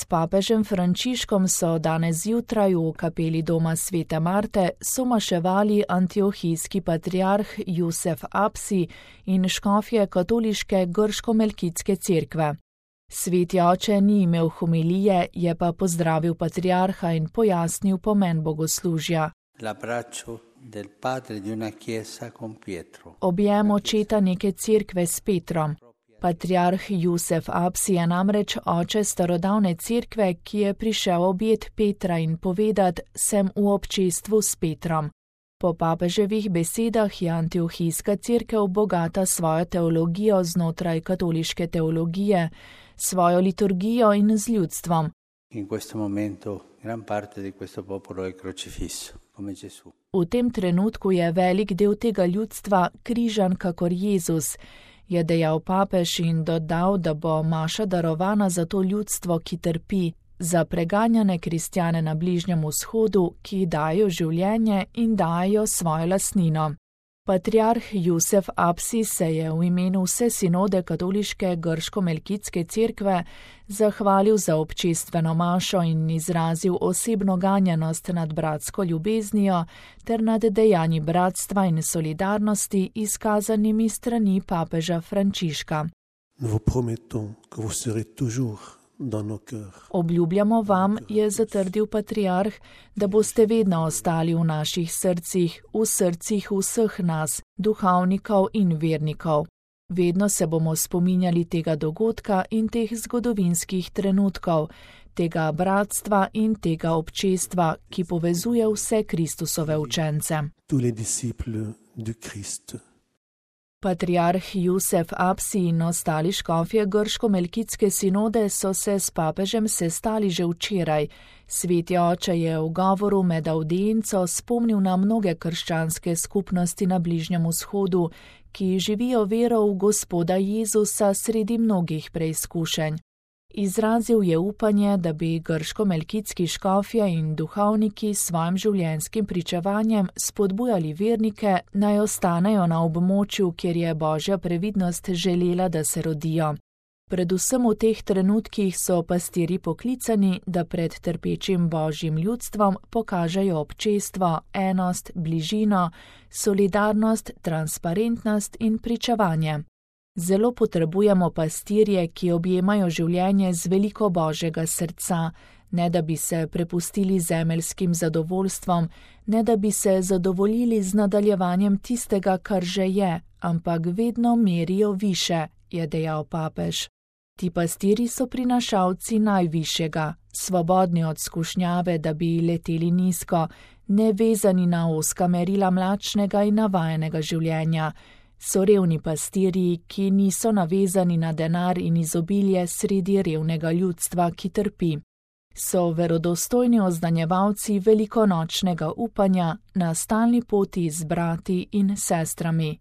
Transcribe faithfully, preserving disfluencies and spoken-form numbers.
S papežem Frančiškom so danes zjutraj v kapeli doma Svete Marte somaševali antiohijski patriarh Jusef Apsi in škofje katoliške grško-melkitske cerkve. Sveti oče ni imel homilije, je pa pozdravil patriarha in pojasnil pomen bogoslužja. Objem očeta neke cerkve s Petrom. Patriarh Jusef Apsi je namreč oče starodavne cerkve, ki je prišel objet Petra in povedat, sem v občestvu s Petrom. Po papeževih besedah je antiohijska cerkev bogata svojo teologijo znotraj katoliške teologije, svojo liturgijo in z ljudstvom. V tem trenutku je velik del tega ljudstva križan kakor Jezus, je dejal papež in dodal, da bo maša darovana za to ljudstvo, ki trpi, za preganjane kristjane na Bližnjem vzhodu, ki dajo življenje in dajo svojo lastnino. Patriarh Jusef Apsi se je v imenu vse sinode katoliške grško-melkitske cerkve zahvalil za občestveno mašo in izrazil osebno ganjenost nad bratsko ljubeznijo ter nad dejanji bratstva in solidarnosti izkazanimi strani papeža Frančiška. Obljubljamo vam, je zatrdil patriarh, da boste vedno ostali v naših srcih, v srcih vseh nas, duhovnikov in vernikov. Vedno se bomo spominjali tega dogodka in teh zgodovinskih trenutkov, tega bratstva in tega občestva, ki povezuje vse Kristusove učence. Patriarh Jusef Apsi in ostali škofje grško-melkitske sinode so se s papežem sestali že včeraj. Sveti oče je v govoru med audienco spomnil na mnoge krščanske skupnosti na Bližnjem vzhodu, ki živijo vero v Gospoda Jezusa sredi mnogih preizkušenj. Izrazil je upanje, da bi grško-melkitski škofje in duhovniki s svojim življenjskim pričevanjem spodbujali vernike, naj ostanejo na območju, kjer je Božja previdnost želela, da se rodijo. Predvsem v teh trenutkih so pastirji poklicani, da pred trpečim Božjim ljudstvom pokažejo občestvo, enost, bližino, solidarnost, transparentnost in pričevanje. Zelo potrebujemo pastirje, ki objemajo življenje z veliko Božjega srca, ne da bi se prepustili zemeljskim zadovoljstvom, ne da bi se zadovoljili z nadaljevanjem tistega, kar že je, ampak vedno merijo više, je dejal papež. Ti pastirji so prinašalci najvišjega, svobodni od skušnjave, da bi leteli nizko, nevezani na ozka merila mlačnega in navajenega življenja. So revni pastirji, ki niso navezani na denar in izobilje sredi revnega ljudstva, ki trpi. So verodostojni oznanjevalci velikonočnega upanja na stalni poti z brati in sestrami.